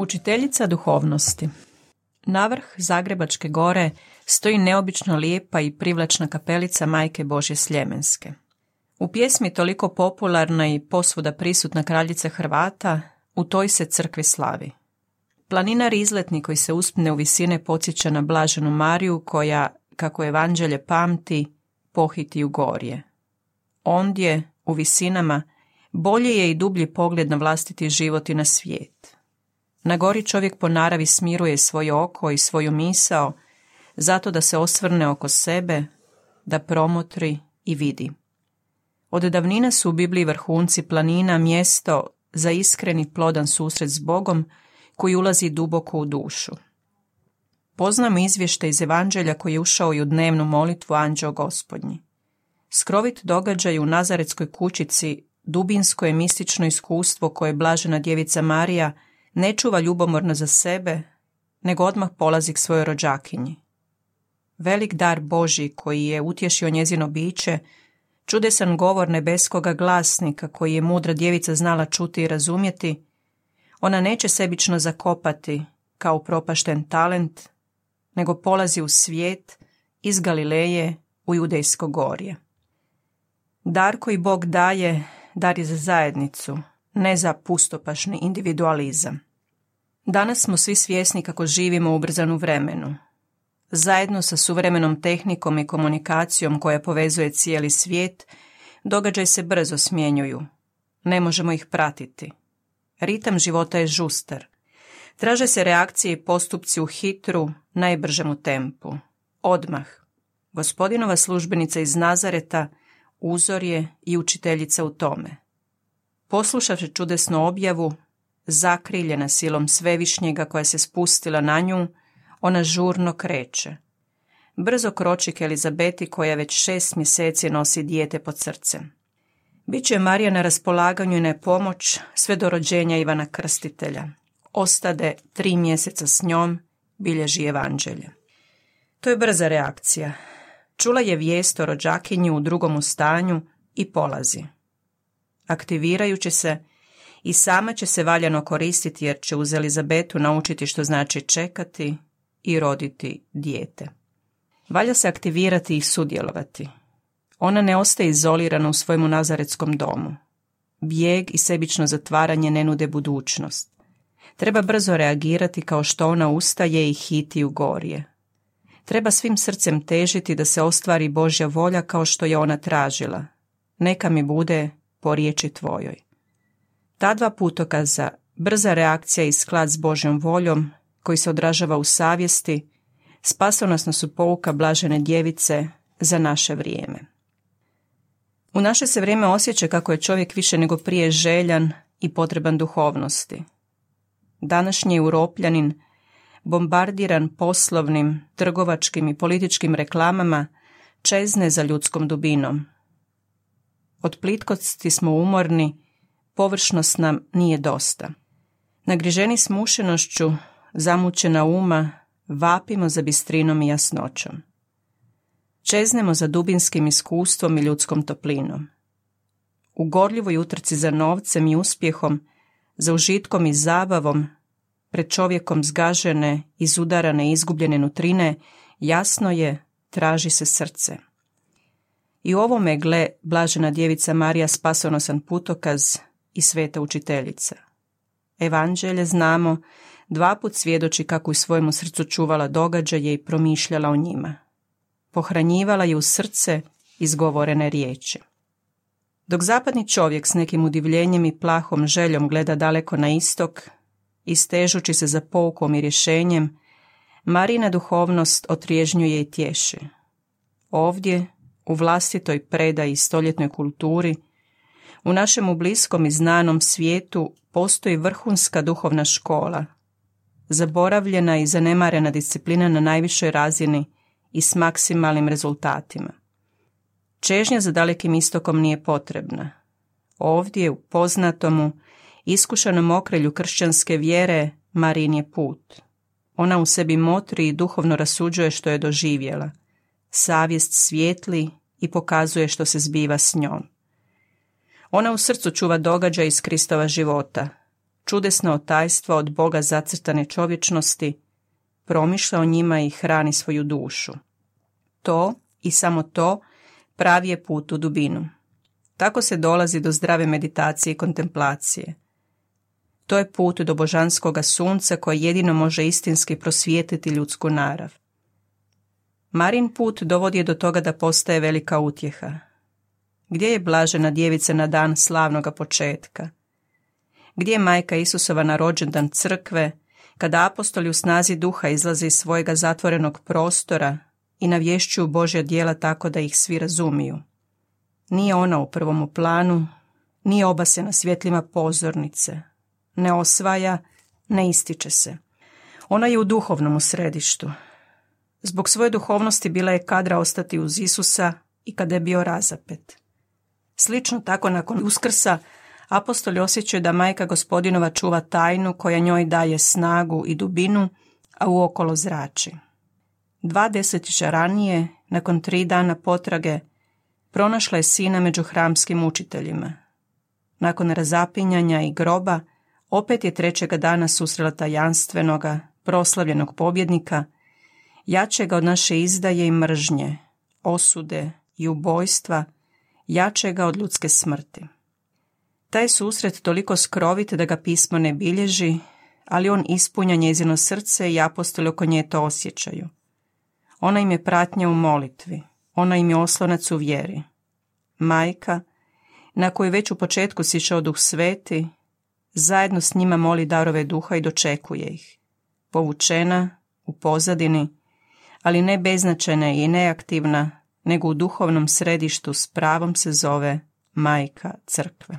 Učiteljica duhovnosti. Navrh Zagrebačke gore stoji neobično lijepa i privlačna kapelica Majke Božje Sljemenske. U pjesmi toliko popularna i posvuda prisutna kraljica Hrvata, u toj se crkvi slavi. Planinar izletnik koji se uspne u visine podsjeća na Blaženu Mariju koja, kako evanđelje pamti, pohiti u gorje. Ondje, u visinama, bolji je i dublji pogled na vlastiti život i na svijet. Na gori čovjek po naravi smiruje svoje oko i svoju misao, zato da se osvrne oko sebe, da promotri i vidi. Od davnina su u Bibliji vrhunci planina mjesto za iskreni plodan susret s Bogom koji ulazi duboko u dušu. Poznamo izvještaj iz evanđelja koji je ušao i u dnevnu molitvu Anđeo Gospodnji. Skrovit događaj u Nazaretskoj kućici, dubinsko je mistično iskustvo koje Blažena djevica Marija ne čuva ljubomorno za sebe, nego odmah polazi k svojoj rođakinji. Velik dar Božji koji je utješio njezino biće, čudesan govor nebeskoga glasnika koji je mudra djevica znala čuti i razumjeti, ona neće sebično zakopati kao propašten talent, nego polazi u svijet iz Galileje u Judejsko gorje. Dar koji Bog daje, dar je za zajednicu, ne za pustopašni individualizam. Danas smo svi svjesni kako živimo u ubrzanu vremenu. Zajedno sa suvremenom tehnikom i komunikacijom koja povezuje cijeli svijet, događaji se brzo smjenjuju. Ne možemo ih pratiti. Ritam života je žustar. Traže se reakcije i postupci u hitru, najbržemu tempu. Odmah. Gospodinova službenica iz Nazareta uzor je i učiteljica u tome. Poslušavši čudesnu objavu, zakriljena silom Svevišnjega koja se spustila na nju, ona žurno kreće. Brzo kroči k Elizabeti koja već 6 mjeseci nosi dijete pod srcem. Biće Marija na raspolaganju i na pomoć sve do rođenja Ivana Krstitelja. Ostade 3 mjeseca s njom, bilježi evanđelje. To je brza reakcija. Čula je vijest o rođakinji u drugom stanju i polazi. Aktivirajući se, i sama će se valjano koristiti jer će uz Elizabetu naučiti što znači čekati i roditi dijete. Valja se aktivirati i sudjelovati. Ona ne ostaje izolirana u svojemu nazaretskom domu. Bijeg i sebično zatvaranje ne nude budućnost. Treba brzo reagirati kao što ona ustaje i hiti u gorje. Treba svim srcem težiti da se ostvari Božja volja kao što je ona tražila. Neka mi bude po riječi tvojoj. Ta 2 putokaza, brza reakcija i sklad s Božjom voljom, koji se odražava u savjesti, spasonosno su pouka Blažene djevice za naše vrijeme. U naše se vrijeme osjeća kako je čovjek više nego prije željan i potreban duhovnosti. Današnji Europljanin, bombardiran poslovnim, trgovačkim i političkim reklamama, čezne za ljudskom dubinom. Od plitkosti smo umorni, površnost nam nije dosta. Nagriženi smušenošću, zamućena uma, vapimo za bistrinom i jasnoćom. Čeznemo za dubinskim iskustvom i ljudskom toplinom. U gorljivoj utrci za novcem i uspjehom, za užitkom i zabavom, pred čovjekom zgažene, izudarane i izgubljene nutrine, jasno je, traži se srce. I u ovome gle Blažena djevica Marija spasonosan putokaz i sveta učiteljica. Evanđelje znamo, 2 put svjedoči kako u svojemu srcu čuvala događaje i promišljala o njima. Pohranjivala je u srce izgovorene riječi. Dok zapadni čovjek s nekim udivljenjem i plahom željom gleda daleko na istok, istežući se za poukom i rješenjem, Marijina duhovnost otrježnjuje i tješi. Ovdje, u vlastitoj predaji i stoljetnoj kulturi, u našemu bliskom i znanom svijetu postoji vrhunska duhovna škola, zaboravljena i zanemarena disciplina na najvišoj razini i s maksimalnim rezultatima. Čežnja za dalekim istokom nije potrebna. Ovdje, u poznatomu, iskušanom okrilju kršćanske vjere, Marijin je put. Ona u sebi motri i duhovno rasuđuje što je doživjela. Savjest svijetli i pokazuje što se zbiva s njom. Ona u srcu čuva događaj iz Kristova života. čudesna tajstva od Boga zacrtane čovječnosti, promišlja o njima i hrani svoju dušu. To i samo to pravi je put u dubinu. Tako se dolazi do zdrave meditacije i kontemplacije. To je put do božanskoga sunca koje jedino može istinski prosvijetiti ljudsku narav. Marin put dovodi je do toga da postaje velika utjeha. Gdje je blažena djevica na dan slavnoga početka? Gdje je majka Isusova na rođendan crkve, kada apostoli u snazi duha izlaze iz svojega zatvorenog prostora i navješćuju Božja djela tako da ih svi razumiju? Nije ona u prvomu planu, nije obasena svjetlima pozornice, ne osvaja, ne ističe se. Ona je u duhovnom središtu. Zbog svoje duhovnosti bila je kadra ostati uz Isusa i kada je bio razapet. Slično tako nakon Uskrsa apostoli osjećaju da majka Gospodinova čuva tajnu koja njoj daje snagu i dubinu, a uokolo zrači. 2 desetljeća ranije, nakon 3 dana potrage, pronašla je sina među hramskim učiteljima. Nakon razapinjanja i groba, opet je 3. dana susrela tajanstvenoga, proslavljenog pobjednika, jačega od naše izdaje i mržnje, osude i ubojstva, jačega od ljudske smrti. Taj susret toliko skrovit da ga pismo ne bilježi, ali on ispunja njezino srce i apostoli oko nje to osjećaju. Ona im je pratnja u molitvi, ona im je oslonac u vjeri. Majka, na koju već u početku sišao Duh Sveti, zajedno s njima moli darove duha i dočekuje ih. Povučena, u pozadini, ali ne beznačajna i neaktivna, nego u duhovnom središtu s pravom se zove Majka Crkve.